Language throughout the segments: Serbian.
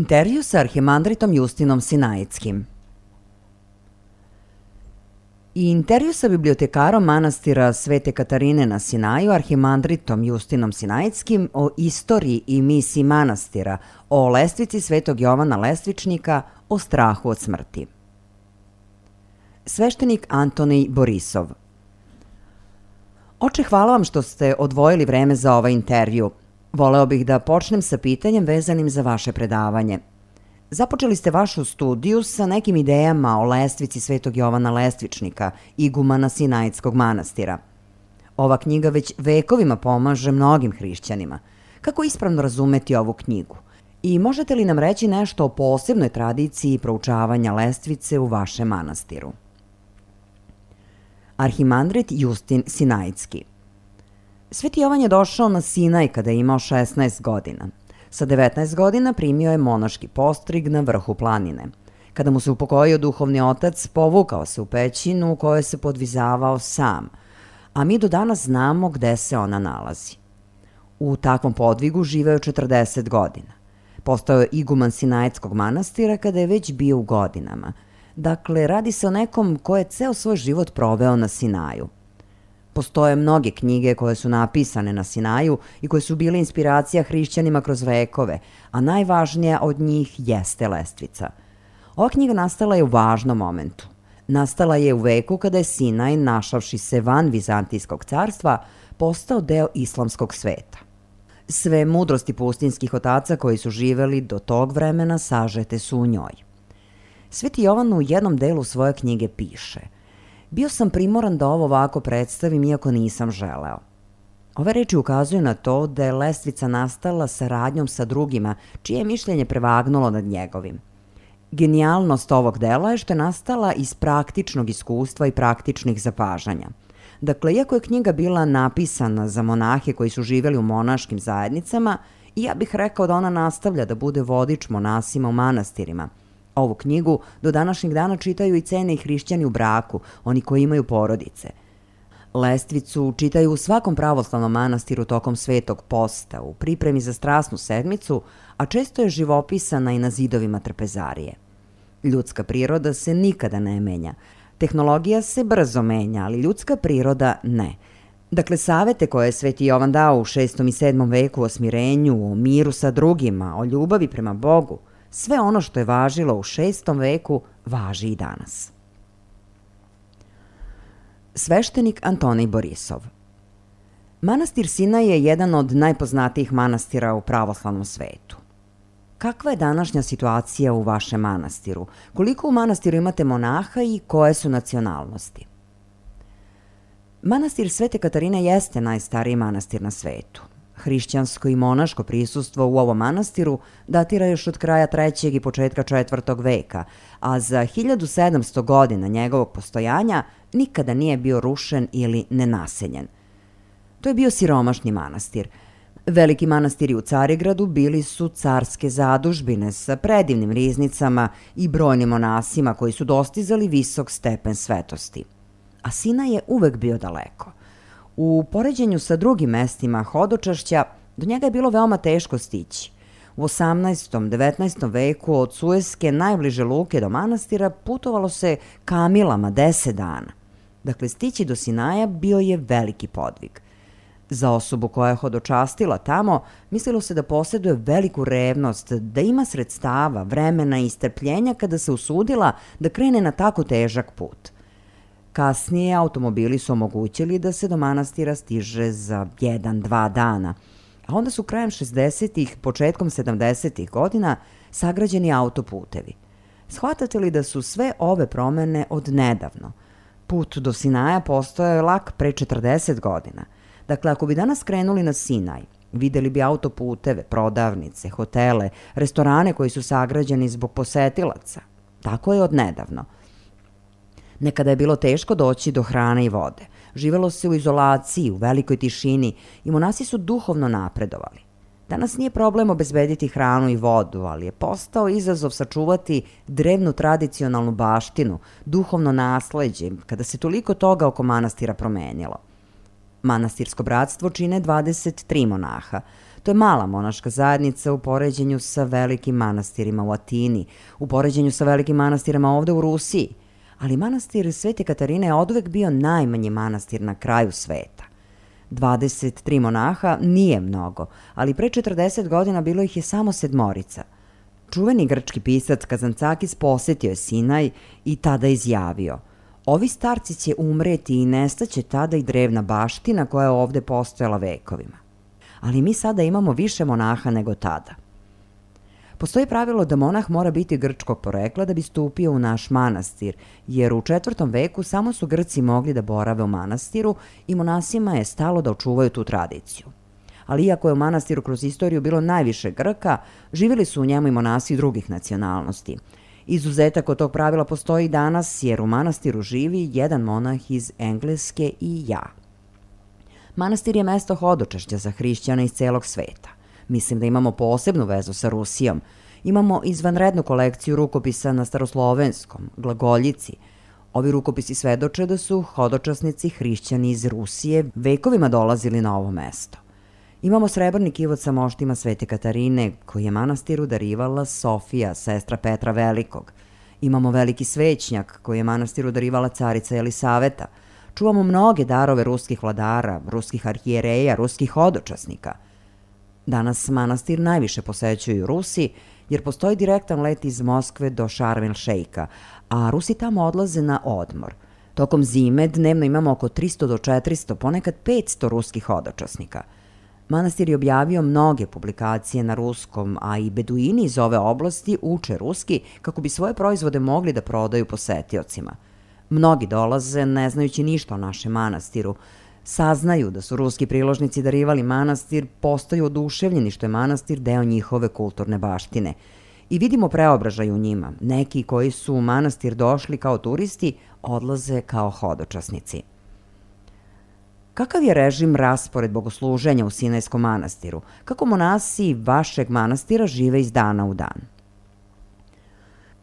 Intervju sa arhimandritom Justinom Sinajskim. Intervju sa bibliotekarom manastira Svete Katarine na Sinaju, arhimandritom Justinom Sinajskim, o istoriji i misiji manastira, o lestvici Svetog Jovana Lestvičnika, o strahu od smrti. Sveštenik Antonij Borisov. Oče, hvala vam što ste odvojili vreme za ovaj intervju. Voleo bih da počnem sa pitanjem vezanim za vaše predavanje. Započeli ste vašu studiju sa nekim idejama o lestvici Svetog Jovana Lestvičnika, igumana Sinajskog manastira. Ova knjiga već vekovima pomaže mnogim hrišćanima. Kako ispravno razumeti ovu knjigu? I možete li nam reći nešto o posebnoj tradiciji proučavanja lestvice u vašem manastiru? Arhimandrit Justin Sinajski. Sveti Jovan je došao na Sinaj kada je imao 16 godina. Sa 19 godina primio je monaški postrig na vrhu planine. Kada mu se upokojio duhovni otac, povukao se u pećinu u kojoj se podvizavao sam, a mi do danas znamo gde se ona nalazi. U takvom podvigu živeo 40 godina. Postao je iguman Sinajskog manastira kada je već bio u godinama. Dakle, radi se o nekom ko je ceo svoj život proveo na Sinaju. Postoje mnoge knjige koje su napisane na Sinaju i koje su bile inspiracija hrišćanima kroz vekove, a najvažnija od njih jeste lestvica. Ova knjiga nastala je u važnom momentu. Nastala je u veku kada je Sinaj, našavši se van Vizantijskog carstva, postao deo islamskog sveta. Sve mudrosti pustinskih otaca koji su živeli do tog vremena sažete su u njoj. Sveti Jovan u jednom delu svoje knjige piše: bio sam primoran da ovo ovako predstavim iako nisam želeo. Ove reči ukazuju na to da je lestvica nastala saradnjom sa drugima, čije je mišljenje prevagnulo nad njegovim. Genijalnost ovog dela je što je nastala iz praktičnog iskustva i praktičnih zapažanja. Dakle, iako je knjiga bila napisana za monahe koji su živjeli u monaškim zajednicama, ja bih rekao da ona nastavlja da bude vodič monasima u manastirima. Ovu knjigu do današnjeg dana čitaju i cene i hrišćani u braku, oni koji imaju porodice. Lestvicu čitaju u svakom pravoslavnom manastiru tokom Svetog posta, u pripremi za strasnu sedmicu, a često je živopisana i na zidovima trpezarije. Ljudska priroda se nikada ne menja. Tehnologija se brzo menja, ali ljudska priroda ne. Dakle, savete koje je Sveti Jovan dao u 6. i 7. veku o smirenju, o miru sa drugima, o ljubavi prema Bogu, sve ono što je važilo u 6. veku važi i danas. Sveštenik Antonij Borisov. Manastir Sinaj je jedan od najpoznatijih manastira u pravoslavnom svetu. Kakva je današnja situacija u vašem manastiru? Koliko u manastiru imate monaha i koje su nacionalnosti? Manastir Svete Katarine jeste najstariji manastir na svetu. Hrišćansko i monaško prisustvo u ovom manastiru datira još od kraja 3. i početka 4. veka, a za 1700 godina njegovog postojanja nikada nije bio rušen ili nenaseljen. To je bio siromašni manastir. Veliki manastiri u Carigradu bili su carske zadužbine sa predivnim riznicama i brojnim monasima koji su dostizali visok stepen svetosti. A Sinaj je uvek bio daleko. U poređenju sa drugim mestima hodočašća, do njega je bilo veoma teško stići. U 18. 19. veku od Sueske najbliže luke do manastira putovalo se kamilama 10 dana. Dakle, stići do Sinaja bio je veliki podvig. Za osobu koja je hodočastila tamo, mislilo se da posjeduje veliku revnost, da ima sredstava, vremena i strpljenja kada se usudila da krene na tako težak put. Kasnije automobili su omogućili da se do manastira stiže za 1-2 dana, a onda su krajem 60-ih, početkom 70-ih godina sagrađeni autoputevi. Shvatate li da su sve ove promene od nedavno? Put do Sinaja postojao je lak pre 40 godina. Dakle, ako bi danas krenuli na Sinaj, videli bi autoputeve, prodavnice, hotele, restorane koji su sagrađeni zbog posetilaca. Tako je od nedavno. Nekada je bilo teško doći do hrane i vode. Živelo se u izolaciji, u velikoj tišini i monasi su duhovno napredovali. Danas nije problem obezbediti hranu i vodu, ali je postao izazov sačuvati drevnu tradicionalnu baštinu, duhovno nasleđe, kada se toliko toga oko manastira promenilo. Manastirsko bratstvo čine 23 monaha. To je mala monaška zajednica u poređenju sa velikim manastirima u Atini, u poređenju sa velikim manastirima ovde u Rusiji. Ali manastir Svete Katarine je oduvek bio najmanji manastir na kraju sveta. 23 monaha nije mnogo, ali pre 40 godina bilo ih je samo 7. Čuveni grčki pisac Kazancakis posetio je Sinaj i tada izjavio: ovi starci će umreti i nestaće tada i drevna baština koja je ovde postojala vekovima. Ali mi sada imamo više monaha nego tada. Postoji pravilo da monah mora biti grčkog porekla da bi stupio u naš manastir, jer u 4. veku samo su Grci mogli da borave u manastiru i monasima je stalo da očuvaju tu tradiciju. Ali iako je u manastiru kroz istoriju bilo najviše Grka, živjeli su u njemu i monasi drugih nacionalnosti. Izuzetak od tog pravila postoji i danas, jer u manastiru živi jedan monah iz Engleske i ja. Manastir je mesto hodočašća za hrišćane iz celog sveta. Mislim da imamo posebnu vezu sa Rusijom. Imamo izvanrednu kolekciju rukopisa na staroslovenskom, glagoljici. Ovi rukopisi svedoče da su hodočasnici hrišćani iz Rusije vekovima dolazili na ovo mesto. Imamo srebrni kivot sa moštima Svete Katarine, koji je manastiru darivala Sofija, sestra Petra Velikog. Imamo veliki svećnjak, koji je manastiru darivala carica Elisaveta. Čuvamo mnoge darove ruskih vladara, ruskih arhijereja, ruskih hodočasnika. Danas manastir najviše posećuju Rusi, jer postoji direktan let iz Moskve do Šarm el Šeika, a Rusi tamo odlaze na odmor. Tokom zime dnevno imamo oko 300 do 400, ponekad 500 ruskih hodočasnika. Manastir je objavio mnoge publikacije na ruskom, a i beduini iz ove oblasti uče ruski kako bi svoje proizvode mogli da prodaju posetiocima. Mnogi dolaze ne znajući ništa o našem manastiru. Saznaju da su ruski priložnici darivali manastir, postaju oduševljeni što je manastir deo njihove kulturne baštine. I vidimo preobražaj u njima. Neki koji su u manastir došli kao turisti, odlaze kao hodočasnici. Kakav je režim raspored bogosluženja u Sinajskom manastiru? Kako monasi vašeg manastira žive iz dana u dan?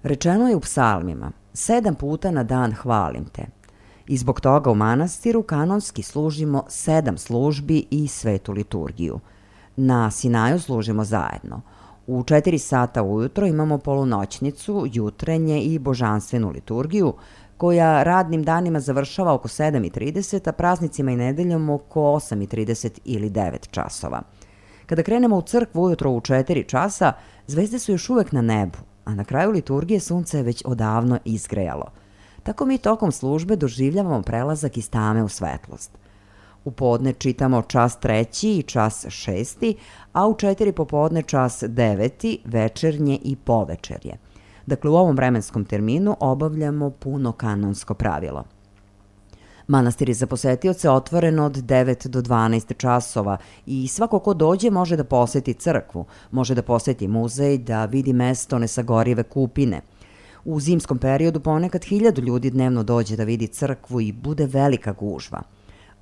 Rečeno je u psalmima: 7 puta na dan hvalim te. I zbog toga u manastiru kanonski služimo 7 službi i svetu liturgiju. Na Sinaju služimo zajedno. U 4 sata ujutro imamo polunoćnicu, jutrenje i božanstvenu liturgiju, koja radnim danima završava oko 7:30, a praznicima i nedeljom oko 8:30 ili 9 časova. Kada krenemo u crkvu ujutro u 4 časa, zvezde su još uvek na nebu, a na kraju liturgije sunce je već odavno izgrejalo. Tako mi tokom službe doživljavamo prelazak iz tame u svetlost. U podne čitamo čas 3. i čas 6, a u 4 popodne čas 9, večernje i povečerje. Dakle, u ovom vremenskom terminu obavljamo puno kanonsko pravilo. Manastir je za posetioce otvoren od 9 do 12 časova i svako ko dođe može da poseti crkvu, može da poseti muzej, da vidi mesto nesagorive kupine. U zimskom periodu ponekad 1000 ljudi dnevno dođe da vidi crkvu i bude velika gužva.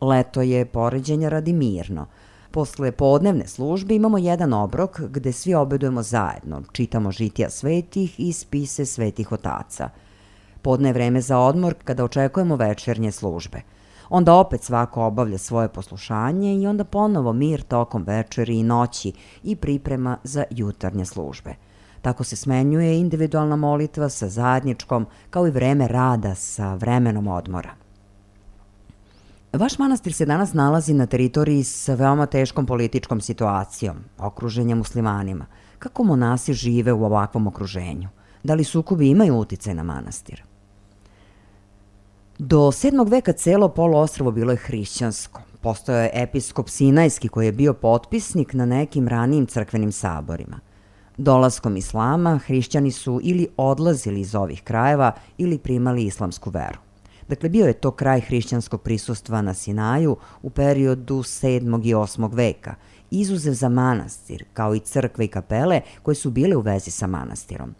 Leto je poređenja radi mirno. Posle podnevne službe imamo jedan obrok gde svi obedujemo zajedno, čitamo žitija svetih i spise svetih otaca. Podne je vreme za odmor kada očekujemo večernje službe. Onda opet svako obavlja svoje poslušanje i onda ponovo mir tokom večeri i noći i priprema za jutarnje službe. Tako se smenjuje individualna molitva sa zajedničkom, kao i vreme rada sa vremenom odmora. Vaš manastir se danas nalazi na teritoriji sa veoma teškom političkom situacijom, okruženja muslimanima. Kako monasi žive u ovakvom okruženju? Da li sukobi imaju uticaj na manastir? Do 7. veka celo poluostrvo bilo je hrišćansko. Postojao je episkop Sinajski koji je bio potpisnik na nekim ranijim crkvenim saborima. Dolaskom islama, hrišćani su ili odlazili iz ovih krajeva ili primali islamsku veru. Dakle, bio je to kraj hrišćanskog prisustva na Sinaju u periodu 7. i 8. veka, izuzev za manastir, kao i crkve i kapele koje su bile u vezi sa manastirom.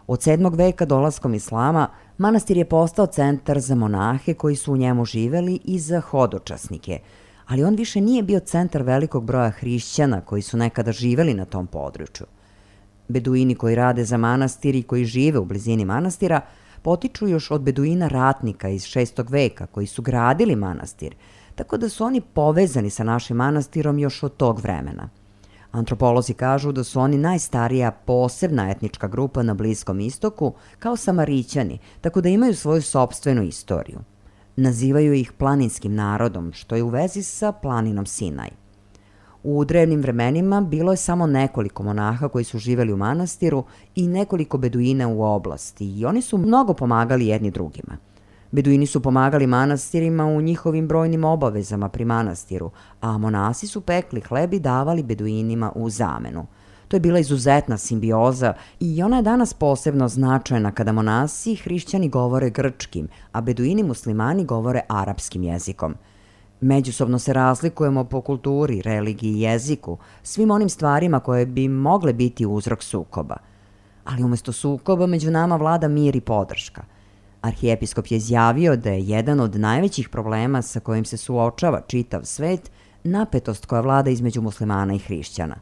Od 7. veka dolaskom islama, manastir je postao centar za monahe koji su u njemu živeli i za hodočasnike, ali on više nije bio centar velikog broja hrišćana koji su nekada živeli na tom području. Beduini koji rade za manastir i koji žive u blizini manastira potiču još od beduina ratnika iz 6. veka koji su gradili manastir, tako da su oni povezani sa našim manastirom još od tog vremena. Antropolozi kažu da su oni najstarija posebna etnička grupa na Bliskom istoku, kao Samarićani, tako da imaju svoju sopstvenu istoriju. Nazivaju ih planinskim narodom, što je u vezi sa planinom Sinaj. U drevnim vremenima bilo je samo nekoliko monaha koji su živeli u manastiru i nekoliko beduina u oblasti i oni su mnogo pomagali jedni drugima. Beduini su pomagali manastirima u njihovim brojnim obavezama pri manastiru, a monasi su pekli hleb i davali beduinima u zamenu. To je bila izuzetna simbioza i ona je danas posebno značajna kada monasi i hrišćani govore grčkim, a beduini muslimani govore arapskim jezikom. Međusobno se razlikujemo po kulturi, religiji i jeziku, svim onim stvarima koje bi mogle biti uzrok sukoba. Ali umesto sukoba među nama vlada mir i podrška. Arhijepiskop je izjavio da je jedan od najvećih problema sa kojim se suočava čitav svet napetost koja vlada između muslimana i hrišćana.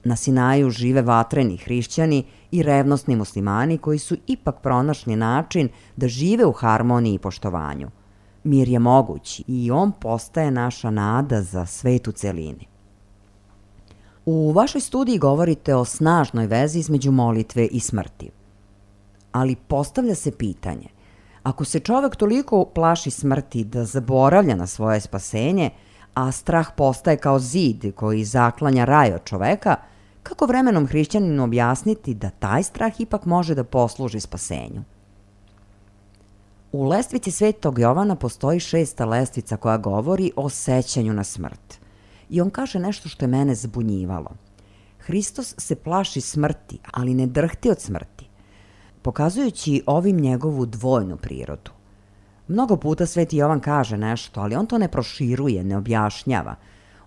Na Sinaju žive vatreni hrišćani i revnosni muslimani koji su ipak pronašli način da žive u harmoniji i poštovanju. Mir je moguć i on postaje naša nada za svet u celini. U vašoj studiji govorite o snažnoj vezi između molitve i smrti. Ali postavlja se pitanje, ako se čovek toliko plaši smrti da zaboravlja na svoje spasenje, a strah postaje kao zid koji zaklanja raj od čoveka, kako vremenom hrišćaninu objasniti da taj strah ipak može da posluži spasenju? U lestvici Svetog Jovana postoji 6. lestvica koja govori o sećanju na smrt. I on kaže nešto što je mene zbunjivalo. Hristos se plaši smrti, ali ne drhti od smrti, pokazujući ovim njegovu dvojnu prirodu. Mnogo puta Sveti Jovan kaže nešto, ali on to ne proširuje, ne objašnjava.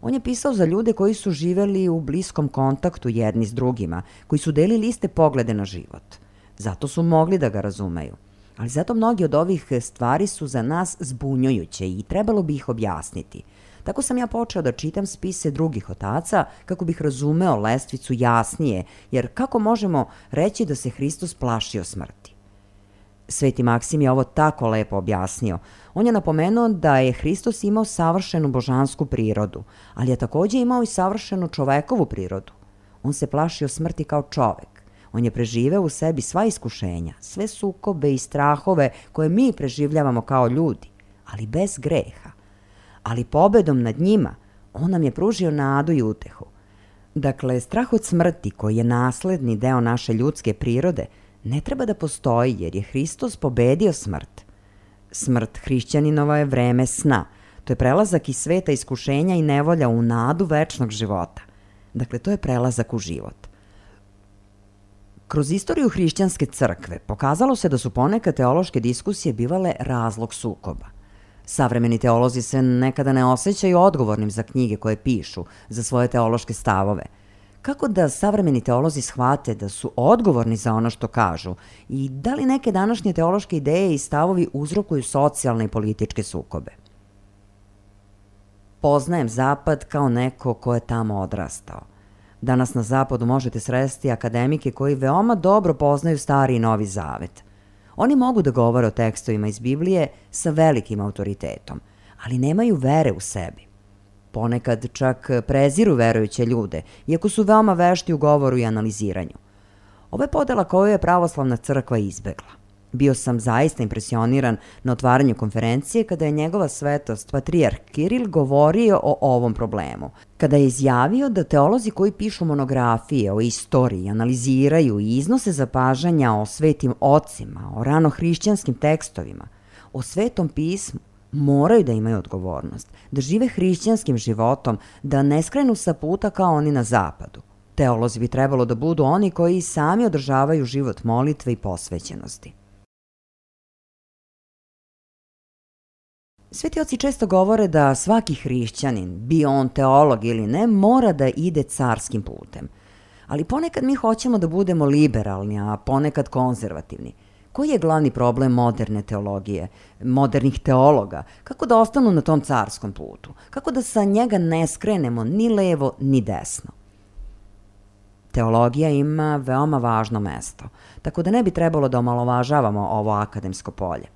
On je pisao za ljude koji su živeli u bliskom kontaktu jedni s drugima, koji su delili iste poglede na život. Zato su mogli da ga razumeju. Ali zato mnogi od ovih stvari su za nas zbunjujuće i trebalo bi ih objasniti. Tako sam ja počeo da čitam spise drugih otaca kako bih razumeo lestvicu jasnije, jer kako možemo reći da se Hristos plašio smrti? Sveti Maksim je ovo tako lepo objasnio. On je napomenuo da je Hristos imao savršenu božansku prirodu, ali je takođe imao i savršenu čovekovu prirodu. On se plašio smrti kao čovek. On je preživeo u sebi sva iskušenja, sve sukobe i strahove koje mi preživljavamo kao ljudi, ali bez greha. Ali pobedom nad njima, on nam je pružio nadu i utehu. Dakle, strah od smrti, koji je nasledni deo naše ljudske prirode, ne treba da postoji jer je Hristos pobedio smrt. Smrt hrišćaninova je vreme sna. To je prelazak iz sveta iskušenja i nevolja u nadu večnog života. Dakle, to je prelazak u život. Kroz istoriju hrišćanske crkve pokazalo se da su ponekad teološke diskusije bivale razlog sukoba. Savremeni teolozi se nekada ne osjećaju odgovornim za knjige koje pišu, za svoje teološke stavove. Kako da savremeni teolozi shvate da su odgovorni za ono što kažu i da li neke današnje teološke ideje i stavovi uzrokuju socijalne i političke sukobe? Poznajem Zapad kao neko ko je tamo odrastao. Danas na Zapadu možete sresti akademike koji veoma dobro poznaju Stari i Novi Zavet. Oni mogu da govore o tekstovima iz Biblije sa velikim autoritetom, ali nemaju vere u sebi. Ponekad čak preziru verujuće ljude, iako su veoma vešti u govoru i analiziranju. Ovo je podela koju je pravoslavna crkva izbegla. Bio sam zaista impresioniran na otvaranju konferencije kada je njegova svetost patrijarh Kiril govorio o ovom problemu. Kada je izjavio da teolozi koji pišu monografije o istoriji, analiziraju i iznose zapažanja o svetim ocima, o ranohrišćanskim tekstovima, o svetom pismu, moraju da imaju odgovornost, da žive hrišćanskim životom, da ne skrenu sa puta kao oni na zapadu. Teolozi bi trebalo da budu oni koji sami održavaju život molitve i posvećenosti. Sveti oci često govore da svaki hrišćanin, bio on teolog ili ne, mora da ide carskim putem. Ali ponekad mi hoćemo da budemo liberalni, a ponekad konzervativni. Koji je glavni problem moderne teologije, modernih teologa? Kako da ostanu na tom carskom putu? Kako da sa njega ne skrenemo ni levo ni desno? Teologija ima veoma važno mesto, tako da ne bi trebalo da omalovažavamo ovo akademsko polje.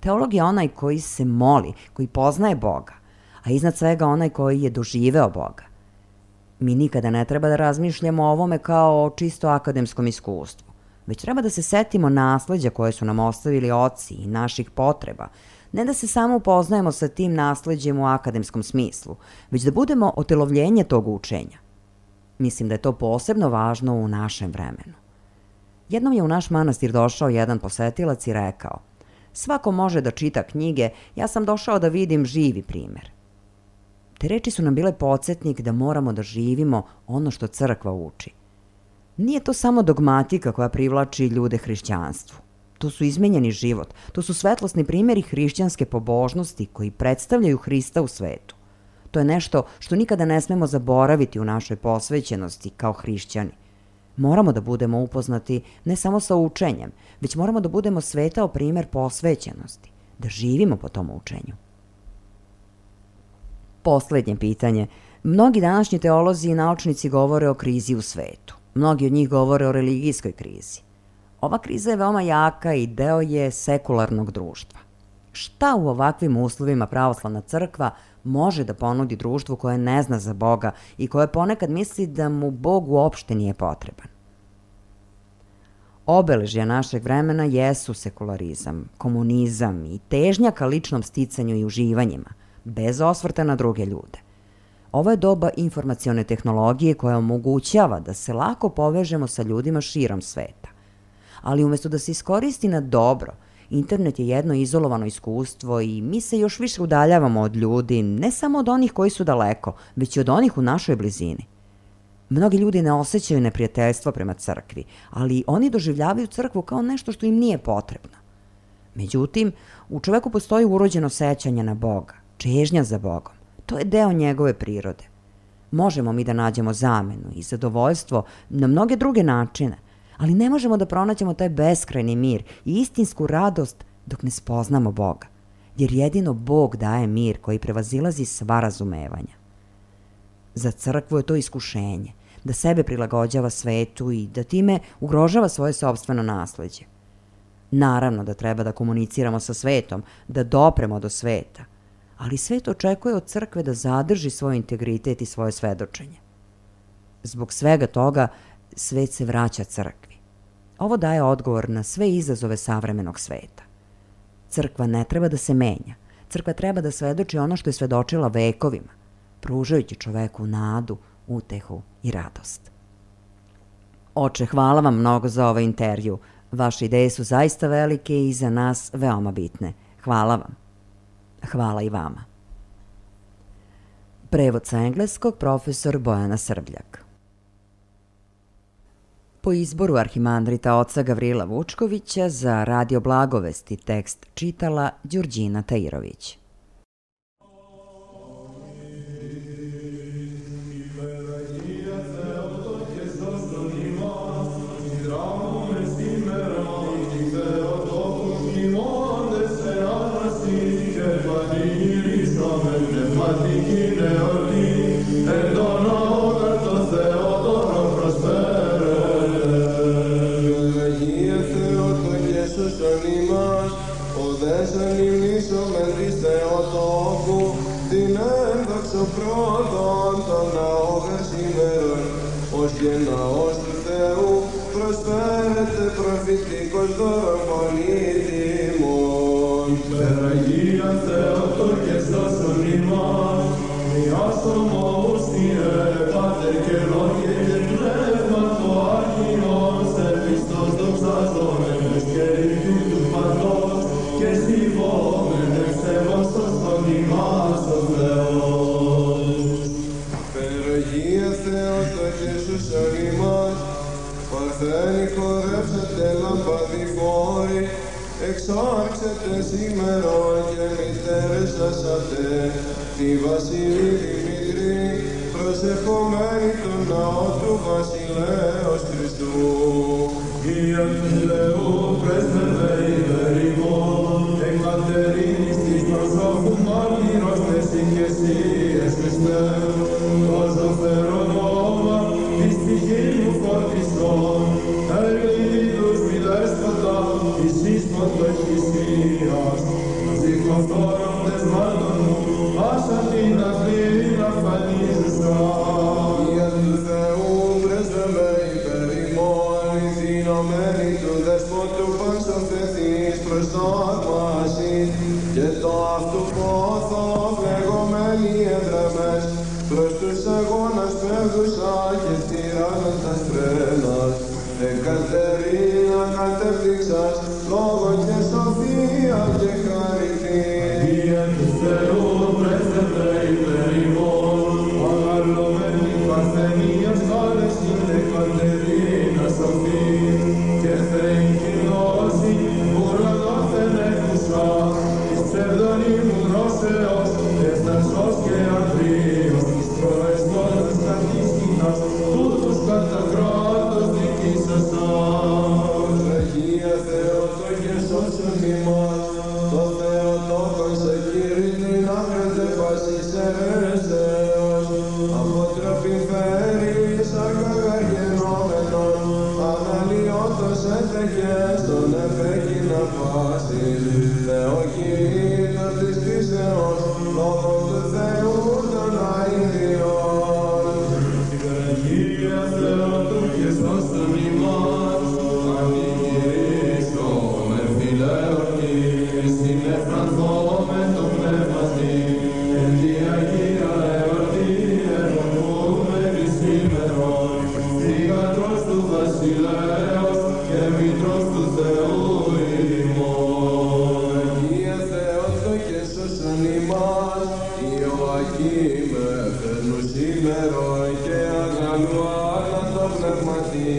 Teolog je onaj koji se moli, koji poznaje Boga, a iznad svega onaj koji je doživeo Boga. Mi nikada ne treba da razmišljamo o ovome kao o čisto akademskom iskustvu, već treba da se setimo nasleđa koje su nam ostavili oci i naših potreba, ne da se samo upoznajemo sa tim nasleđem u akademskom smislu, već da budemo otelovljenje tog učenja. Mislim da je to posebno važno u našem vremenu. Jednom je u naš manastir došao jedan posetilac i rekao: "Svako može da čita knjige, ja sam došao da vidim živi primer." Te reči su nam bile podsjetnik da moramo da živimo ono što crkva uči. Nije to samo dogmatika koja privlači ljude hrišćanstvu. To su izmenjeni život, to su svetlosni primjeri hrišćanske pobožnosti koji predstavljaju Hrista u svetu. To je nešto što nikada ne smemo zaboraviti u našoj posvećenosti kao hrišćani. Moramo da budemo upoznati ne samo sa učenjem, već moramo da budemo svetao primjer posvećenosti, da živimo po tom učenju. Poslednje pitanje. Mnogi današnji teolozi i naučnici govore o krizi u svetu. Mnogi od njih govore o religijskoj krizi. Ova kriza je veoma jaka i deo je sekularnog društva. Šta u ovakvim uslovima pravoslavna crkva može da ponudi društvu koje ne zna za Boga i koje ponekad misli da mu Bog uopšte nije potreban? Obeležja našeg vremena jesu sekularizam, komunizam i težnja ka ličnom sticanju i uživanjima, bez osvrta na druge ljude. Ovo je doba informacione tehnologije koja omogućava da se lako povežemo sa ljudima širom sveta. Ali umesto da se iskoristi na dobro, internet je jedno izolovano iskustvo i mi se još više udaljavamo od ljudi, ne samo od onih koji su daleko, već i od onih u našoj blizini. Mnogi ljudi ne osjećaju neprijateljstvo prema crkvi, ali oni doživljavaju crkvu kao nešto što im nije potrebno. Međutim, u čoveku postoji urođeno sećanje na Boga, čežnja za Bogom. To je deo njegove prirode. Možemo mi da nađemo zamenu i zadovoljstvo na mnoge druge načine, ali ne možemo da pronaćemo taj beskrajni mir i istinsku radost dok ne spoznamo Boga, jer jedino Bog daje mir koji prevazilazi sva razumevanja. Za crkvu je to iskušenje, da sebe prilagođava svetu i da time ugrožava svoje sopstveno nasleđe. Naravno da treba da komuniciramo sa svetom, da dopremo do sveta, ali svet očekuje od crkve da zadrži svoj integritet i svoje svedočenje. Zbog svega toga, svet se vraća crkvi. Ovo daje odgovor na sve izazove savremenog sveta. Crkva ne treba da se menja. Crkva treba da svedoči ono što je svedočila vekovima, pružajući čoveku nadu, utehu i radost. Oče, hvala vam mnogo za ovaj intervju. Vaše ideje su zaista velike i za nas veoma bitne. Hvala vam. Hvala i vama. Prevod sa engleskog profesor Bojana Srbljak. Po izboru arhimandrita oca Gavrila Vučkovića za Radio Blagovesti tekst čitala Đurđina Tairović. Naός του Θεού προσφέρεται προφητικός δώρο πολύτιμον. Περαγία Θεοτόκε σώσον ημάς, μοιάσομος Κύριε Πάτερ και Λόγε και Πνεύματο Άγιον, σε Χριστός δοξαζόμενος και ρητού του Πατρός και στιβόμενος σεβαστός των ημάς ο Θεός. Περαγία Θεοτόκε σώσον ημάς, παρθένη χορεύσετε λαμπαδιφόροι, εξάρξετε σήμερον και μητέρες ασάτε, τη Βασιλή Δημητρή, προσευχομένη τον ναό του Βασιλέως Χριστού. Κύριε του Θεού, πρέσβευε υπερηγόν, εκ Κατερίνης της προσώπου μάρτυρος εσύ και εσύ, Χριστέ, το ζωφερό όνομα της τυχής μου φορτιστών, ελπίδους μη δέσποτα, της ίσποτος θυσίας, ζυγοφόρων δεσμάτων μου, άσα την αθλή να φανίζουσα. κατέπτυξας, λόγο και σοφία και χαριτή. Δια του Θεού πρέσβευε υπέρ ημών, αγαλωμένη παρθενίας χάρες είναι Κατερίνα σοφή, και θεϊκή γνώση ουρανόθεν έκουσα, εις ψευδονίμου γνώσεως, έφτασος και αγρίος, εις προεστώνας καθίσκηνας, τούτους κατά κράτος δικήσασαν. Αγία Θεότο και σώσον ημάς, το Θεοτόκον σε κήρυτην άκρεται πάσης αιρέσεως, αποτροπή φέρεις ακαγαγενόμενον, αναλυότος έτεχες τον εφέκεινα πάσης, Θεοκοίτα της φύσεως, λόγω του Θεού των αηδιών. Αγία Θεότου και σώσον ημάς, ανηγυρίστον εμφυλαίωρτη, στην εφρανθόμεν το πνεύματι, εν τη Αγία εορτή ερχομούμενη σήμερον, θύγατρος του βασιλέως και μήτρος του Θεού ημών. Αγία Θεότο και σώσον ημάς, Ιωακήμ εφέρνου σήμερον και αγαλού άνατο πνευματί,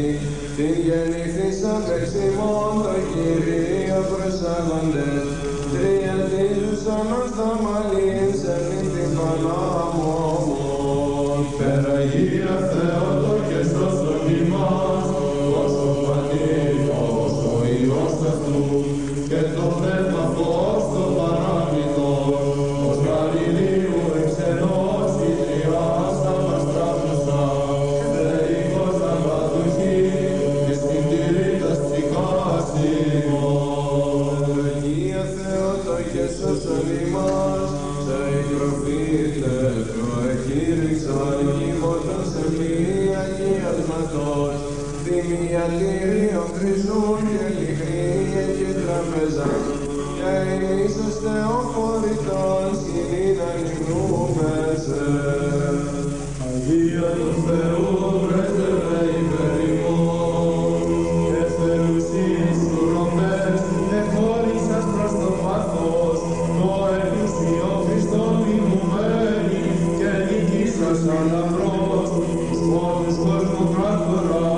την γεννηθήσαν εξ ημών το Κυρίο προσάγοντες, τριαντίζουσαν ως τα μαλλίν σε μην την Πανάμωμον. Υπεραγία Θεότο και σώσον ημάς, ως ο Πατήρ, ως ο Υιός αυτού, και το Πνεύμα φως το παράμυθον, ως Γαλιλαίου εξενός η Τριάς απαστράφουσα, θεϊκός αμπαδουχή, και στην τυρίτας ψυχάς ημών. Αγία Θεότο και σώσον ημάς, σε υγροφείτε προεκήρυξαν κύμωτον σε μία αγιασματός, θυμιατήριον χρυσούν και λιχνία και τραπεζά, και ίσως θεοφορητών σκηνήν ανυμνούμεσε. Αγία του Θεού πρέσβευε υπέρ ημών, και θελουσίες ουροπές εχώρισας προς το πάθος, το εκκλησίο Χριστόν μιμουμένη, και νικήσας αλαφρός, εις μόνους κόσμου πράκτορα,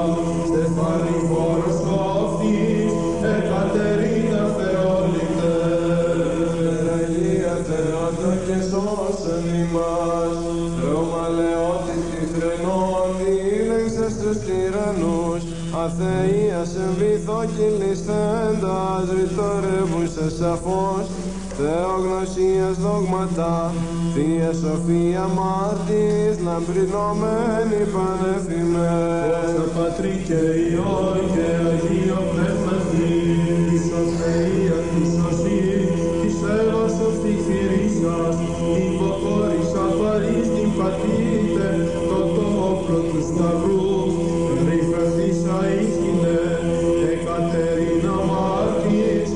στεφάνι φόρος κόφτης, Εκατερίνα Θεόληπτε. Αγία Θεότο και σώσον ημάς, Ρωμαλαιότης τυθρενών διήλεξες τους τυραννούς, αθείας εν βυθό κυλισθέντας ρητορεύουσες σαφώς, θεογνωσίας δόγματα, Θεία Σοφία μάρτης, λαμπρινωμένη πανεφημέ. Δόξα Πατρί και Υιό και Αγίο Πνεύματι, της σωσθεία της σωσή, της έλασος της θηρήσας, την υποχώρησα παρείς την πατήτε, το όπλο του σταυρού, ρηφευθήσα ίσχυνε, Εκατερίνα μάρτης,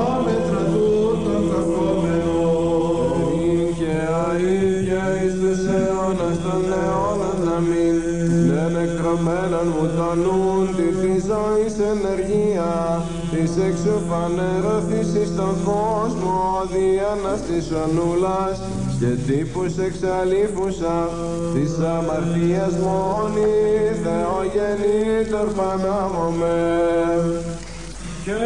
άμετρα τούτων καθόμενων. Και αΐδια εις τους αιώνας των αιώνων να μην, ναι νεκρωμένων μου το νουν, τη ζωής ενεργεία, της εξουφανερωθήσης στον κόσμο, διαναστήσεων ούλας, και τύπους εξαλείφουσα, της αμαρτίας μόνη, Θεογεννήτωρ Πανάμωμε. Και